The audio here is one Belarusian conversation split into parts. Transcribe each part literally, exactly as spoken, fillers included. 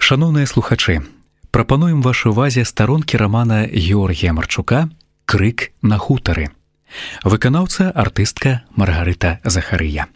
Шаноўныя слухачы, прапануем вашай увазе старонкі рамана Георгія Марчука «Крык на хутары». Выканаўца артыстка Маргарыта Захарыя.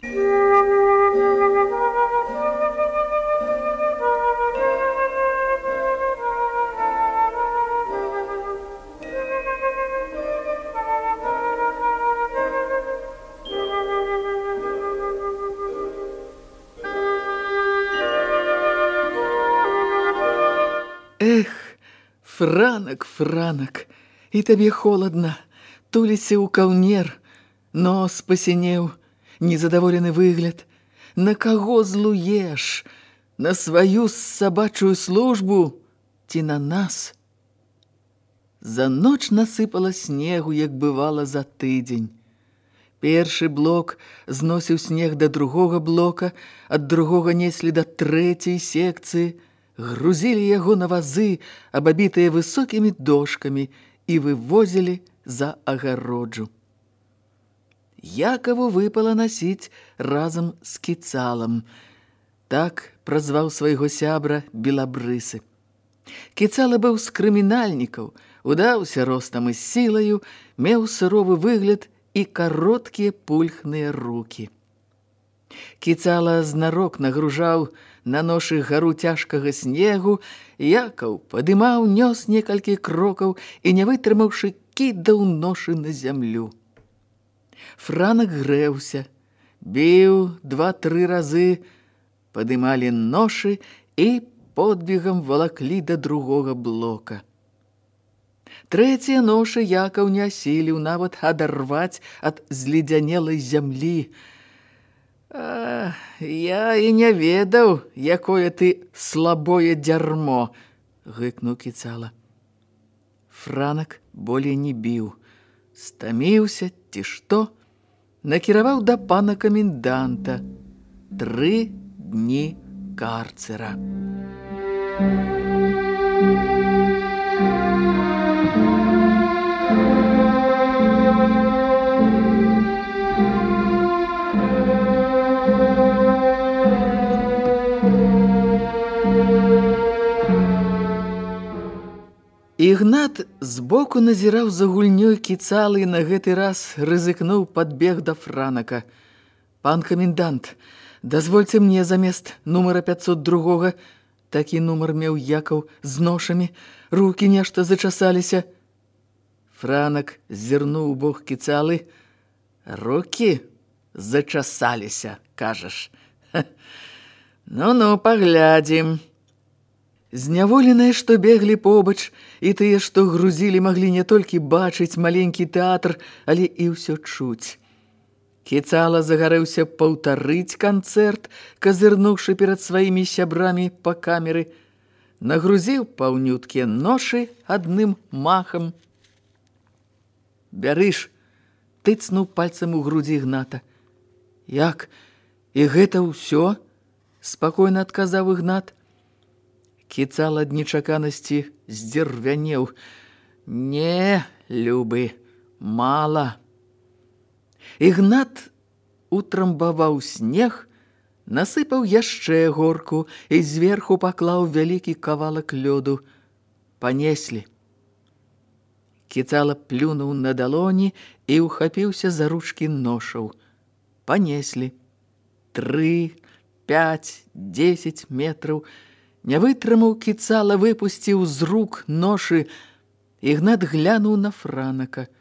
Эх, Франак, Франак, і табе холадна, туліся ў каўнер, нос пасінеў, незадаволены выгляд. На каго злуеш? На сваю сабачую службу ці на нас? За ноч насыпала снегу, як бывала за тыдзень. Першы блок зносіў снег да другога блока, ад другога неслі да трэцяй секцыі, грузілі яго на вазы, абабітыя высокімі дошкамі, і вывозілі за агароджу. Якаву выпала насіць разам з Кіцалам. Так празваў свайго сябра Белабрысы. Кіцала быў з крымінальнікаў, удаўся ростам і сілаю, меў суровы выгляд і кароткія пульхныя рукі. Кіцала знарок нагружаў на ношы гару цяжкага снегу, Якаў падымаў, нёс некалькі крокаў і, не вытрымаўшы, кідаў ношы на зямлю. Франак грэўся, біў два-тры разы, падымалі ношы і подбегам валаклі да другога блока. Трэція ношы Якаў не асіліў нават адарваць ад зледзянелай зямлі. А, я і не ведаў, якое ты слабое дзярмо, гыкнуў Кіцала. Франак болей не біў, стаміўся ці што, накіраваў да пана каменданта. Тры дні карцера. Ігнат збоку назіраў за гульнёй Кіцалы і на гэты раз рызыкнуў падбег да Франака. «Пан камендант, дазвольце мне замест нумара пятьсот два, такі нумар меў Якаў з ношамі, рукі нешта зачасаліся». Франак зірнуў у бок Кіцалы. «Рукі зачасаліся, кажаш? Ну-ну, паглядзім». Зняволеныя, што беглі побач, і тыя, што грузілі, маглі не толькі бачыць маленькі тэатр, але і ўсё чуць. Кіцала загарэўся паўтарыць канцэрт, казырнуўшы перад сваімі сябрамі па камеры, нагрузіў паўнюткія ношы адным махам. «Бярыш», тыцнуў пальцам у грудзі Ігната. «Як? І гэта ўсё?» – спакойна адказаў Ігнат. Кіцала ад нечаканасці здзірвянеў. «Не, любы, мала». Ігнат утрамбаваў снег, насыпаў яшчэ горку і зверху паклаў вялікі кавалак лёду. Панеслі. Кіцала плюнуў на далоні і ўхапіўся за ручкі ношаў. Панеслі. Тры, пяць, дзесяць метраў. Не вытрымаў Кіцала, выпусціў з рук ношы. Ігнат глянуў на Франака.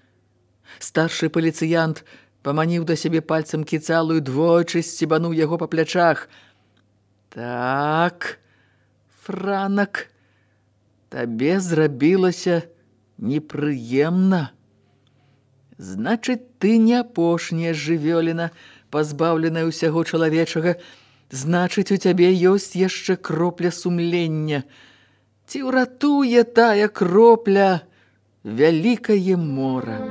Старшы паліцыянт паманіў да сябе пальцам Кіцалу і двойчы сцебануў яго па плячах. «Так, Франак, табе зрабілася непрыемна. Значыць, ты не апошняя жывёліна, пазбаўленая ўсяго чалавечага. Значыць, у цябе ёсць яшчэ кропля сумлення. Ці ўратуе тая кропля вялікае мора?»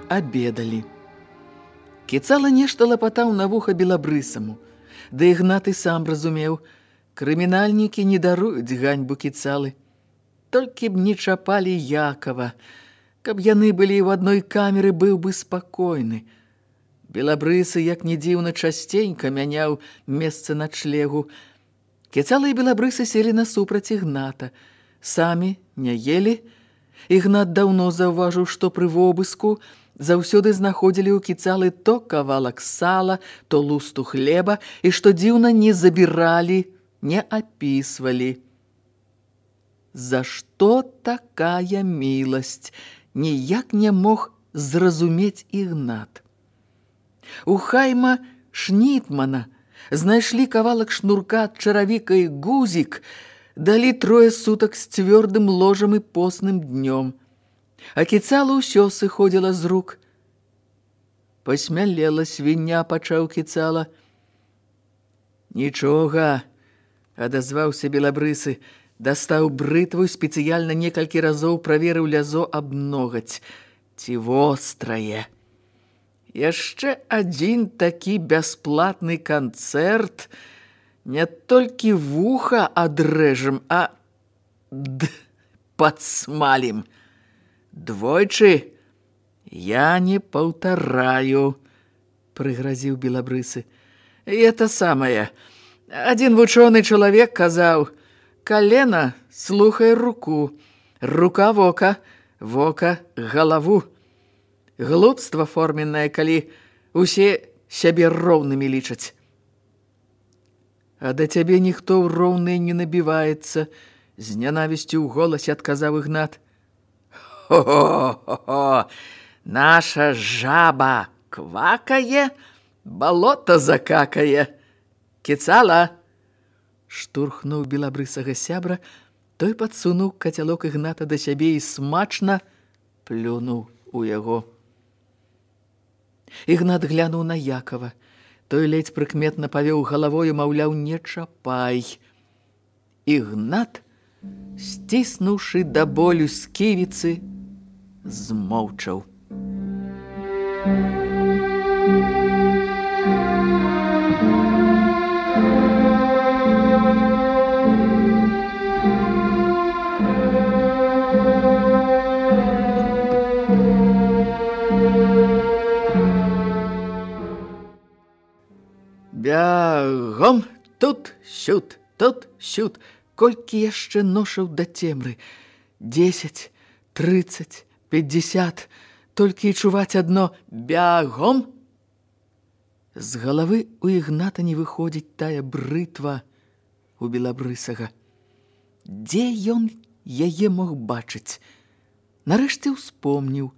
Абедалі. Кіцала нешта лапатаў на вуха Белабрысаму. Да Ігнат і сам разумеў, крымінальнікі не даруюць ганьбу Кіцалы. толькі б не чапалі Якова. Каб яны былі ў адной камеры, быў бы спакойны. Белабрысы, як не дзіўна, часценька мяняў месца начлегу. Кіцала і белабрысы селі насупраць Ігната. Самі не елі. Ігнат даўно заўважыў, што пры вобыску заўсёды знаходзілі ў Кіцалы то кавалак сала, то лусту хлеба, і, што дзіўна, не забіралі, не апісвалі. За што такая міласць? Ніяк не мог зразумець Ігнат. У Хайма Шнітмана знайшлі кавалак шнурка ад чаравіка і гузік, далі трое сутак з цвёрдым ложам і постным днём. А Кіцала ўсё сыходзіла з рук. Пасмялела свіння, пачаў Кіцала. Нічога, адазваўся белабрысы, дастаў брытву, спецыяльна некалькі разоў праверыў лязо аб ногаць. Ці вострае. Яшчэ адзін такі бясплатны канцэрт, не толькі вуха адрэжам, а д падсмалім. Двойчы я не паўтараю, прыгразіў белабрысы. Это самае. Адзін вучоны чалавек казаў: калена слухай руку, рука вока, вока галаву. Глупства форменнае, калі усе сябе роўнымі лічаць. А да цябе ніхто ў роўныя не набіваецца, з нянавісцю ў голасе адказаў Ігнат. Хо-хо-хо! Наша жаба квакае, балота закакае. Кіцала! Штурхнуў белабрысага сябра, той падсунуў кацялок Ігната да сябе і смачна плюнуў у яго. Ігнат глянуў на Якова. Той ледзь прыкметна павёў галавою, маўляў, не чапай. Ігнат, сціснуўшы да болю сківіцы, змоўчаў. Бягом, тут, сюд, тут, сюд. Колькі яшчэ ношаў да цемры? Дзесяць, трыццаць, пятьдесят. Толькі і чуваць адно бягом. З галавы у Ігната не выходзіць тая брытва у белабрысага. Дзе ён яе мог бачыць? Нарэшце ўспомніў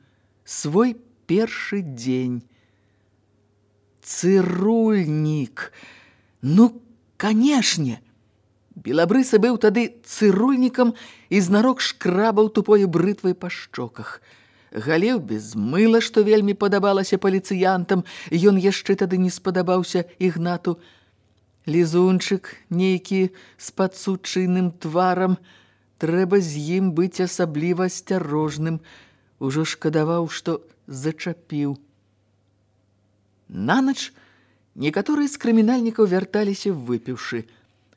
свой першы дзень. Цырульнік. Ну, канешне. Белабрысы быў тады цырульнікам і знарок шкрабаў тупою брытвай па шчоках. Галіў без мыла, што вельмі падабалася паліцыянтам, ён яшчэ тады не спадабаўся Ігнату. Лізунчык нейкі з падсучыйным тварам, трэба з ім быць асабліва асцярожным. Ужо шкадаваў, што зачапіў. Нанач некаторыя з крымінальнікаў вярталіся выпіўшы.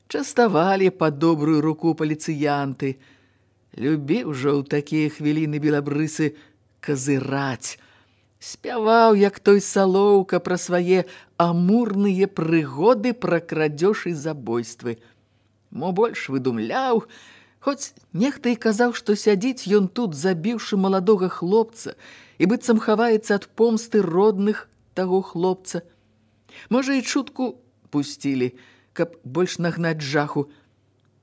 Частавалі па добрую руку паліцыянты. Любіў жа ў такія хвіліны белабрысы казыраць. Спяваў, як той Салоўка, пра свае амурныя прыгоды, пра крадзеж і забойствы. Мо больш выдумляў, хоць нехта і казаў, што сядзіць ён тут, забіўшы маладога хлопца, і быццам хаваецца ад помсты родных таго хлопца. Можа, і чутку пусцілі, каб больш нагнаць жаху.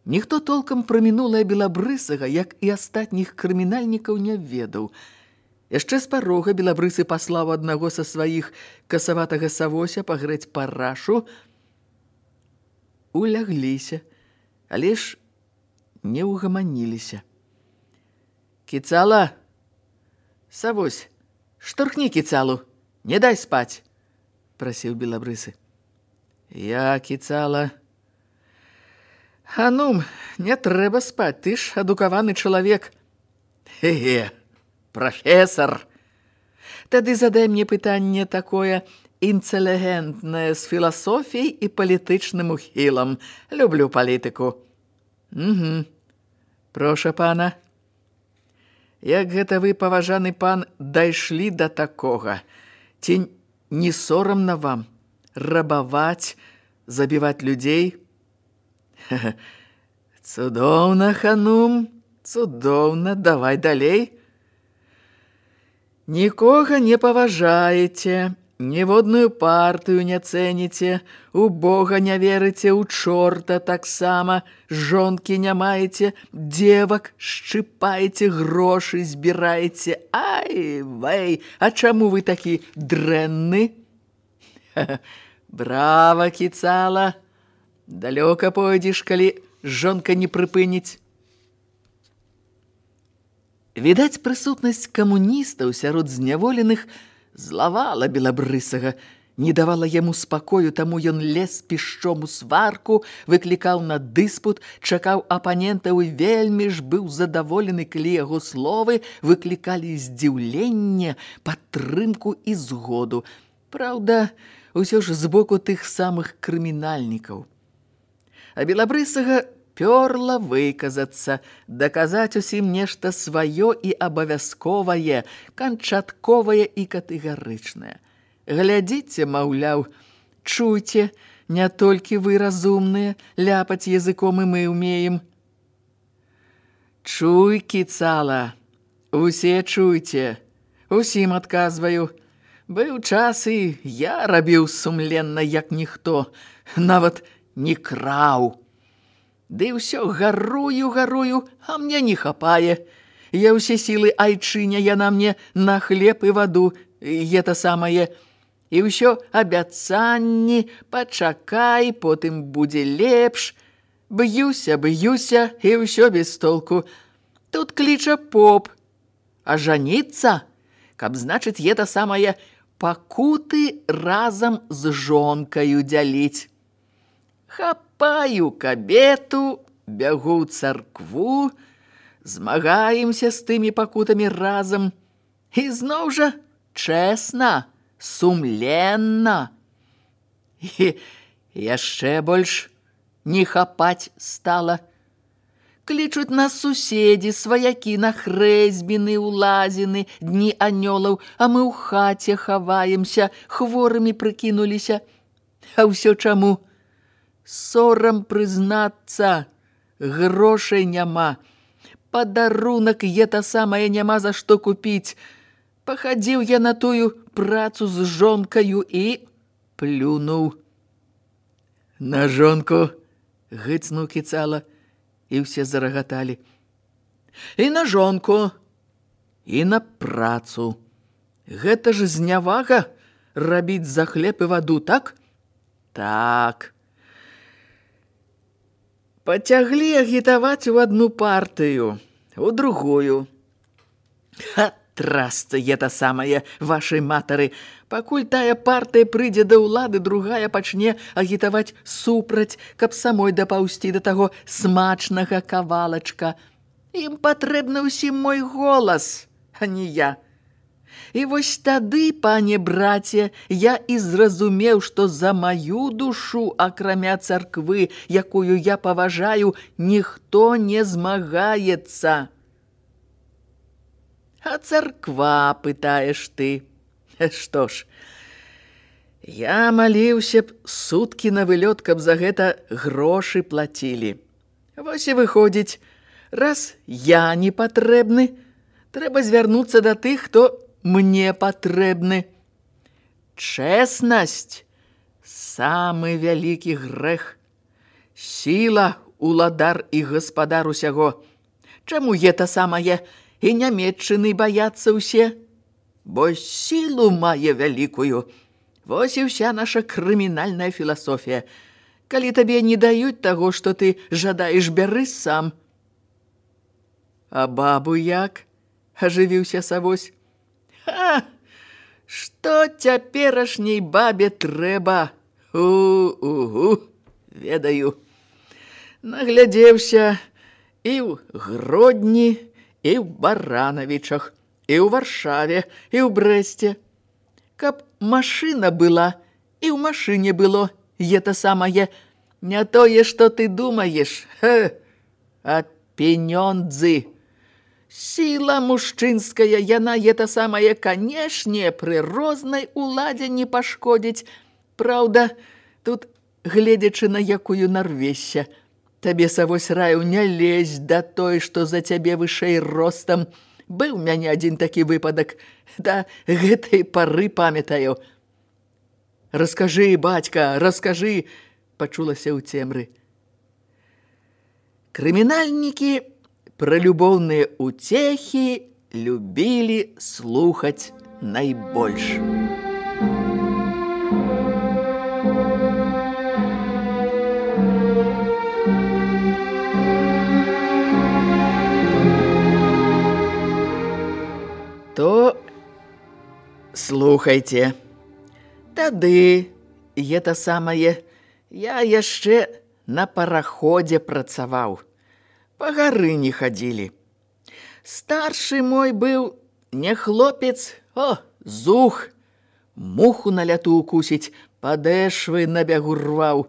Ніхто толкам пра мінулае белабрысага, як і астатніх крымінальнікаў, не ведаў. Яшчэ з парога белабрысы паслаў аднаго са сваіх касаватага савося пагрэць парашу. Улягліся, але ж не ўгаманіліся. Кіцала, савось, штурхні Кіцалу. Не дай спаць, прасіў белабрысы. Я, Кіцала. А ну, не трэба спаць, ты ж адукаваны чалавек. Хе-хе, прафесар. Тады задай мне пытанне такое інтэлігентнае з філасофіяй і палітычным ухілам. Люблю палітыку. Угу. Проша пана, як гэта вы, паважаны пан, дайшлі да такога? Ці не сорамна вам рабаваць, забіваць людзей? Цудоўна, ханум, цудоўна, давай далей. Нікога не паважаеце, ніводную партыю не цэніце, у Бога не верыце, у чорта таксама, жонкі не маеце, дзевак шчыпаеце, грошы збіраеце. Ай, вэй, а чаму вы такі дрэнны? Брава, кіцала, далёка пойдзеш, калі жонка не прыпыніць. Відаць, прысутнасць камуністаў сярод зняволеных злавала Белабрысага, не давала яму спакою, таму ён лез пішчом у сварку, выклікаў на дыспут, чакаў апанентаў і вельмі ж быў задаволены, калі яго словы выклікалі здзіўленне, падтрымку і згоду. Праўда, усё ж з боку тых самых крымінальнікаў. А Белабрысага пёрла выказацца, даказаць усім нешта сваё і абавязковае, канчатковае і катэгарычнае. Глядзіце, маўляў, чуйце, не толькі вы разумныя, ляпаць языком і мы ўмеем. Чуй, кіцала, усе чуйце, усім адказваю. Быў час і я рабіў сумленна, як ніхто, нават не краў. Ды ўсё гарую, гарую, а мне не хапае. Я ўсе сілы айчыня, яна мне на хлеб і ваду, гэта самае. І ўсё абяцанні, пачакай, потым будзе лепш. Б'юся, б'юся, і ўсё без толку. Тут кліча поп. А жаніцца, каб, значыць, гэта самае пакуты разам з жонкаю дзяліць. Хапаю кабету, бягу ў царкву, змагаемся з тымі пакутамі разам. І зноў жа чэсна, сумленна. І яшчэ больш не хапаць стала. Клічуць нас суседзі, сваякі на хрэсьбіны, улазіны, дні анёлаў, а мы ў хаце хаваемся, хворымі прыкінуліся. А ўсё чаму? Сорам прызнацца, грошай няма. Падарунак гэта самае няма за што купіць. Пахадзіў я на тую працу з жонкаю і плюнуў. На жонку гыцнуў кіцала, і ўсе зарагаталі. І на жонку, і на працу. Гэта ж знявага рабіць за хлеб і ваду, так? Так. Пацяглі агітаваць у адну партыю, у другую. Ха, трасца гэта самае, вашай матары. Пакуль тая партыя прыйдзе да ўлады, другая пачне агітаваць супраць, каб самой дапаўсці да таго смачнага кавалачка. Ім патрэбны ўсім мой голас, а не я. І вось тады, пане браце, я і зразумеў, што за маю душу, акрамя царквы, якую я паважаю, ніхто не змагаецца. А царква, пытаеш ты. Што ж, я маліўся б суткі на вылёт, каб за гэта грошы плацілі. Вось і выходзіць, раз я не патрэбны, трэба звярнуцца да тых, хто мне патрэбны. Чэснасць – самы вялікі грэх. Сіла – уладар і гаспадар усяго. Чаму гэта самае і нямецчыны баяцца ўсе? Бо сілу мае вялікую. Вось і ўся наша крымінальная філасофія. Калі табе не даюць таго, што ты жадаеш, бяры сам. А бабу як? Ажывіўся Савось. Ха! Што цяперашняй бабе трэба? У-у-у, ведаю. Наглядзеўся і ў Гродні, і ў Баранавічах, і ў Варшаве, і ў Брэсце. Каб машына была, і ў машыне было, гэта самае, не тое, што ты думаеш, ха, а пенёндзы. Сила мужчынская, яна ета самая, канешне, пры рознай уладзе не пашкодзіць. Праўда, тут, гледзячы на якую нарвешся, табе савось раю не лезь да той, што за цябе вышэй ростам. Быў у мяне адзін такі выпадак, да гэтай пары памятаю. «Раскажы, бацька, раскажы!» пачулася ў цемры. Крымінальнікі пра любоўныя уцехі любілі слухаць найбольш. То слухайце. Тады, гэта самае, я яшчэ на параходзе працаваў. Па гары не хадзілі. Старшы мой быў не хлопец, о, зух. Муху на ляту укусіць, падэшвы на бягу рваў.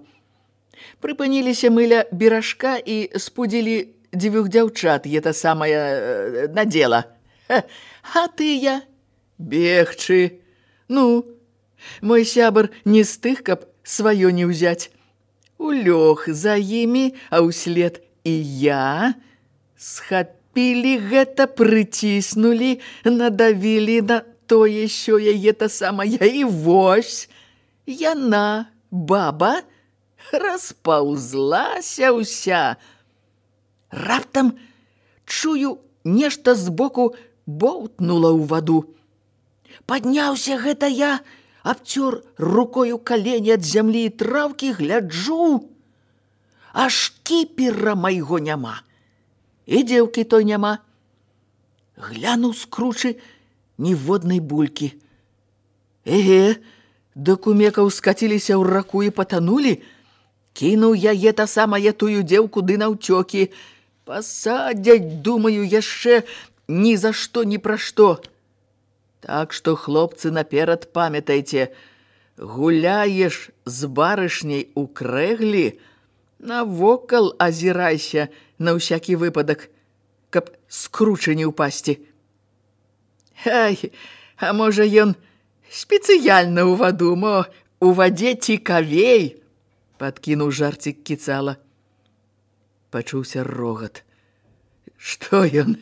Прыпыніліся мы ля беражка і спудзілі дзвюх дзяўчат, гэта самае, на дзела. А тыя бегчы. Ну, мой сябар не з тых, каб сваё не ўзяць. Улёг за імі, а ўслед і я. Схапілі гэта, прыціснулі, надавілі на тое, що яе та самая, і вось яна, баба, распаўзлася ўся. Раптам чую, нешта збоку боўтнула ў ваду. Падняўся гэта я, абцёр рукою калені ад зямлі і траўкі, гляджу, а шкіпера майго няма. І дзеўкі той няма. Глянуў скручы ніводнай булькі. Эге, да кумекаў скаціліся ў раку і патанулі. Кінуў яе та самая тую дзеўку ды наўцёкі. Пасадзяць, думаю, яшчэ ні за што, ні пра што. Так што, хлопцы, наперад памятайце, гуляеш з барышняй у крэглі, навокал азірайся на ўсякі выпадак, каб скручы не ўпасці. Ай, а можа ён спецыяльна ў ваду, мо у вадзе цікавей, падкінуў жарцік кіцала. Пачуўся рогат. Што ён,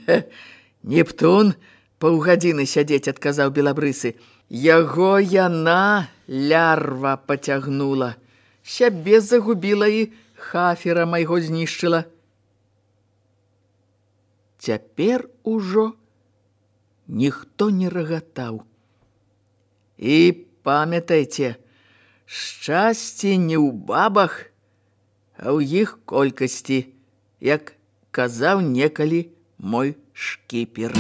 Нептун? Паўгадзіны сядзець, адказаў белабрысы. Яго яна, лярва, пацягнула. Сябе загубіла і хафера майго знішчыла. Цяпер ужо ніхто не рагатаў. І памятайце, шчасце не ў бабах, а ў іх колькасці, як казаў некалі мой шкіпер.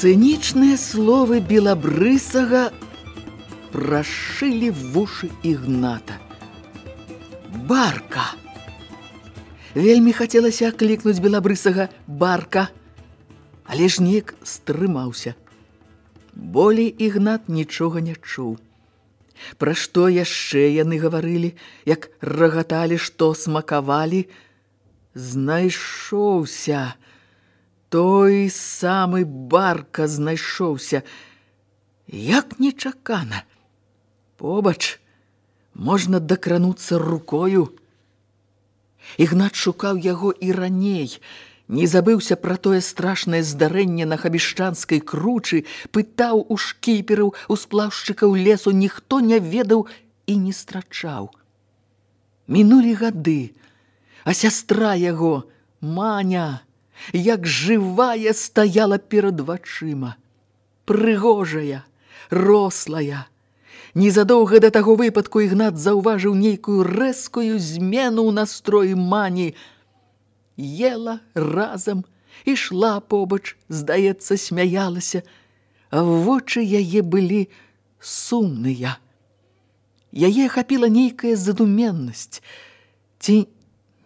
Цынічныя словы белабрысага прашылі вушы Ігната. Барка! Вельмі хацелася аклікнуць белабрысага барка, але ж неяк стрымаўся. Болей Ігнат нічога не чуў. Пра што яшчэ яны гаварылі, як рагаталі, што смакавалі, знайшоўся. Той самы барка знайшоўся. Як нечакана. Побач можна дакрануцца рукою. Ігнат шукаў яго і раней. Не забыўся пра тое страшнае здарэнне на Хабішчанскай кручы, пытаў у шкіпераў, у сплаўшчыкаў лесу, ніхто не ведаў і не страчаў. Мінулі гады, а сястра яго, Маня, як жывая стаяла перад вачыма. Прыгожая, рослая, Незадоўга да таго выпадку Ігнат заўважыў нейкую рэзкую змену ў настроі мані. Ела разам, ішла побач, здаецца, смяялася, а вочы яе былі сумныя. Яе ахапіла нейкая задуменнасць. Ці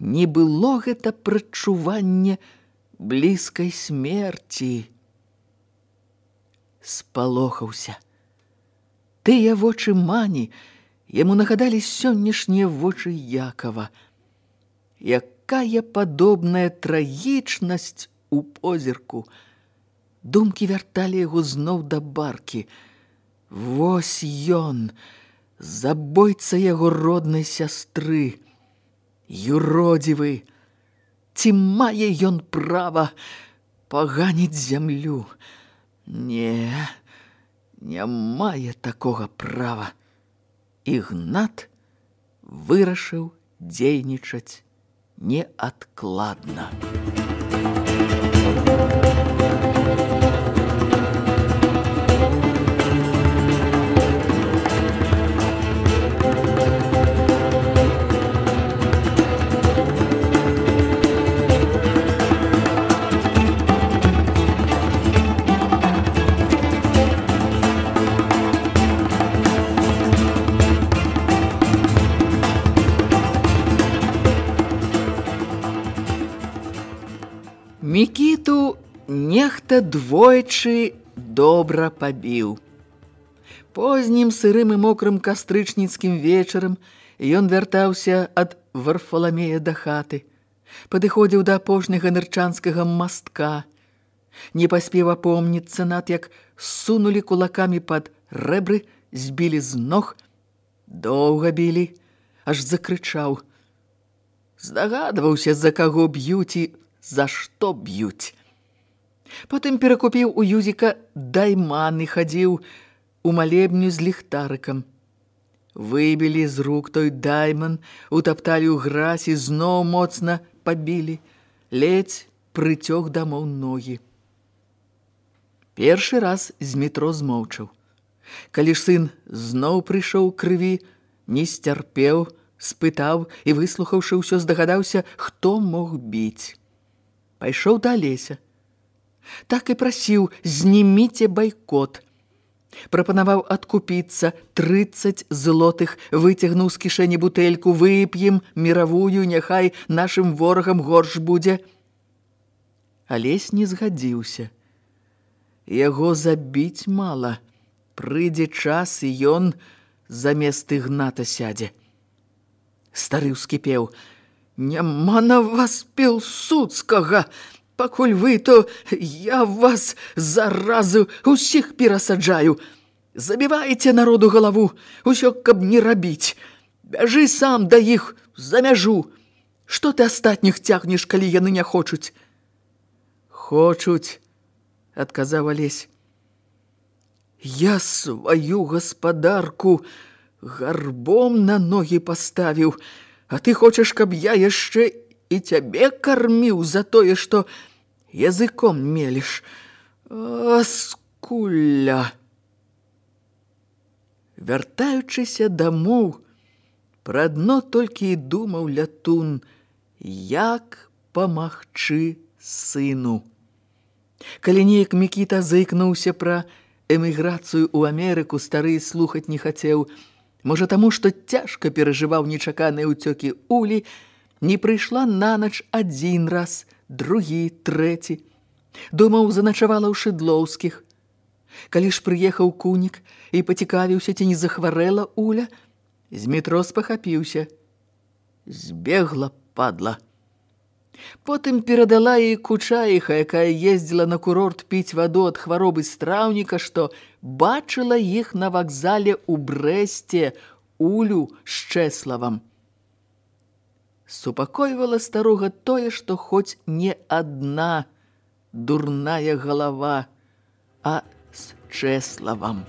не было гэта прадчуванне блізкай смерці? Спалохаўся. Тыя вочы мані яму нагадалі сённяшнія вочы Якава. Якая падобная трагічнасць у позірку. Думкі вярталі яго зноў да баркі. Вось ён, забойца яго роднай сястры, юродзівы. Ці мае ён права паганіць зямлю? Не, не мае такога права. Ігнат вырашыў дзейнічаць неадкладна. Мікіту нехта двойчы добра пабіў. Познім сырым і мокрым кастрычніцкім вечарам ён вяртаўся ад Варфаламея да хаты, падыходзіў да апошняга нырчанскага мастка. Не паспеў апомніцца над, як сунулі кулакамі пад рэбры, збілі з ног, доўга білі, аж закрычаў. Здагадваўся, за каго б'юць і за што б'юць. Потым перакупіў у Юзіка дайман і хадзіў у малебню з ліхтарыкам. Выбілі з рук той дайман, утапталі ў гразь і зноў моцна пабілі, ледзь прыцёг дамоў ногі. Першы раз з метро змоўчаў. Калі ж сын зноў прыйшоў крыві, не сцярпеў, спытаў і, выслухаўшы ўсё, здагадаўся, хто мог біць. Пайшоў да Алеся. Так і прасіў, зніміце байкот. Прапанаваў адкупіцца, трыццаць злотых, выцягнуў з кішэні бутэльку, вып'ем міравую, няхай нашым ворагам горш будзе. Алесь не згадзіўся. Яго забіць мала. Прыйдзе час, і ён замест Ігната сядзе. Стары ўскіпеў. Няма на вас пілсудскага. Пакуль вы, то я вас заразу усіх перасаджаю. Забівайце народу галаву, усё, каб не рабіць. Бяжы сам да іх за мяжу. Што ты астатніх цягнеш, калі яны не хочуць? Хочуць, адказаў Алесь. Я сваю гаспадарку гарбом на ногі паставіў, а ты хочаш, каб я яшчэ і цябе карміў за тое, што языком меліш. А, скуля! Вяртаючыся дамоў, пра адно толькі і думаў лятун, як памагчы сыну. Калі неяк Мікіта заікнуўся пра эміграцыю ў Амерыку, стары слухаць не хацеў. Можа, таму, што цяжка перажываў нечаканыя ўцёкі Улі, не прыйшла на ноч адзін раз, другі, трэці. Думаў, заначавала ў Шыдлоўскіх. Калі ж прыехаў Кунік і пацікавіўся, ці не захварэла Уля, з метро спахапіўся. Збегла, падла. Потым перадала ей кучаіха, якая ездзіла на курорт піць ваду ад хваробы страўніка, што бачыла іх на вакзале ў Брэсце Улю з Чэславам. Супакойвала старога тое, што хоць не адна дурная галава, а з Чэславам.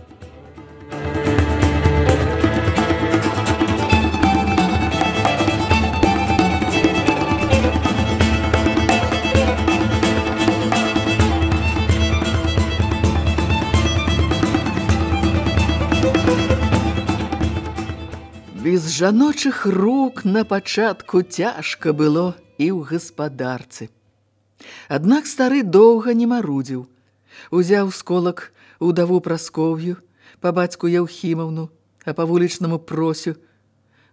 Без жаночых рук на пачатку цяжка было і ў гаспадарцы. Аднак стары доўга не марудзіў. Узяў з колак удаву Праскоўю, па бацьку Яўхімаўну, а па вулічнаму Просю.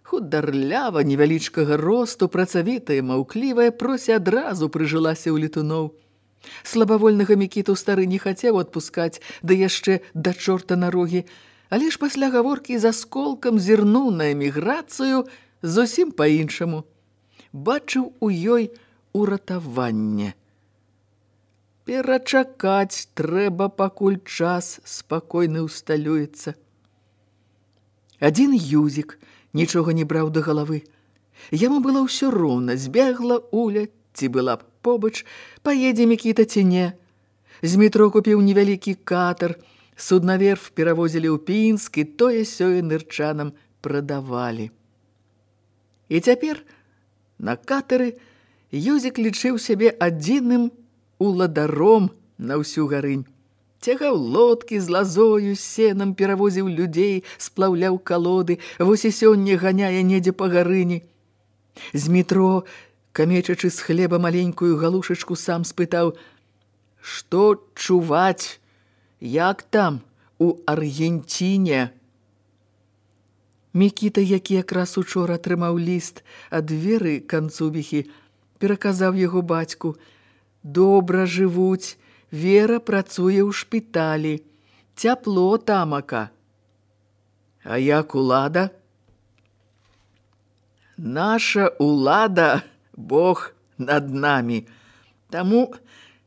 Хударлява, невялічкага росту, працавітая, маўклівая, Прося адразу прыжылася ў летуноў. Слабавольнага Мікіту стары не хацеў адпускаць, да яшчэ да чорта на рогі, але ж пасля гаворкі з Асколкам зірнуў на эміграцыю зусім па-іншаму. Бачыў у ёй уратаванне. Перачакаць трэба, пакуль час спакойны ўсталюецца. Адзін Юзік нічога не браў да галавы. Яму было ўсё роўна, збегла Уля, ці была б побач, паедзе Мікіта ці не. З метро купіў невялікі катар, суднаверф перавозілі ў Пінск і тое-сёе нырчанам прадавалі. І цяпер на катары Юзік лічыў сябе адзіным уладаром на ўсю Гарынь. Цягаў лодкі з лазою, сенам, перавозіў людзей, сплаўляў калоды, вось і сёння ганяе недзе па Гарыні. З метро, камечачы з хлеба маленькую галушачку, сам спытаў: «Што чуваць? Як там, у Аргенціне?» Мікіта, які якраз учора атрымаў ліст ад Веры Канцубіхі, пераказаў яго бацьку: «Добра жывуць, Вера працуе ў шпіталі, цяпло тамака». «А як улада?» «Наша улада, Бог над намі. Таму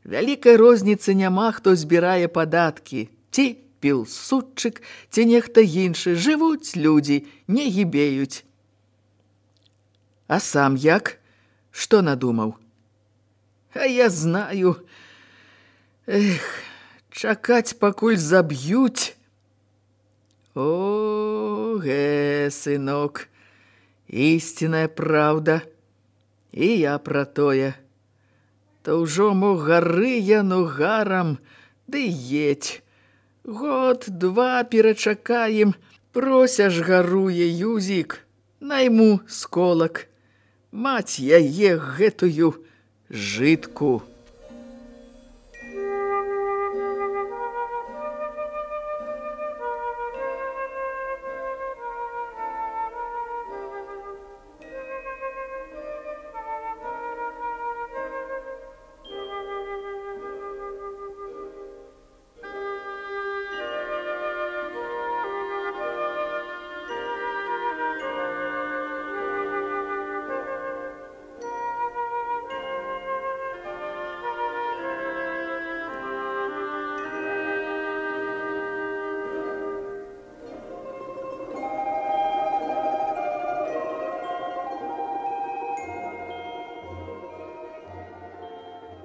вялікай розніцы няма, хто збірае падаткі. Ці пілсудчык, ці нехта іншы. Жывуць людзі, не гібеюць». «А сам як? Што надумаў?» «А я знаю. Эх, чакаць, пакуль заб'юць». «О, гэ, сынок, ісціная праўда. І я пра тое. То ўжо мо гары яно гарам, ды едь. Год-два перачакаем, Прося ж гаруе, Юзік, найму сколак. Маць яе гэтую жытку».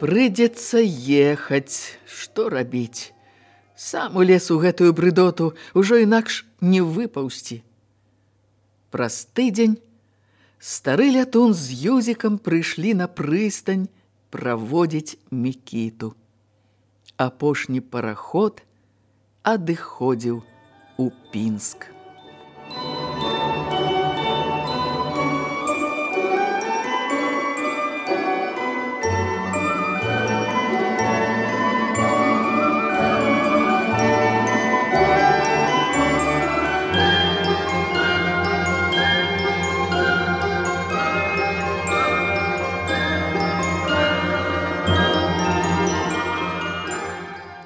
Прыйдзецца ехаць, што рабіць? Сам у лес у гэтую брыдоту ўжо інакш не выпаўсці. Праз тыдзень стары лятун з Юзікам прыйшлі на прыстань праводзіць Мікіту. Апошні параход адыходзіў у Пінск.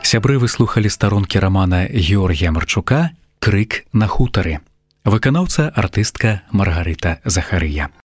Сябры, вы слухалі старонкі рамана Георгія Марчука «Крык на хутары». Выканаўца артыстка Маргарыта Захарыя.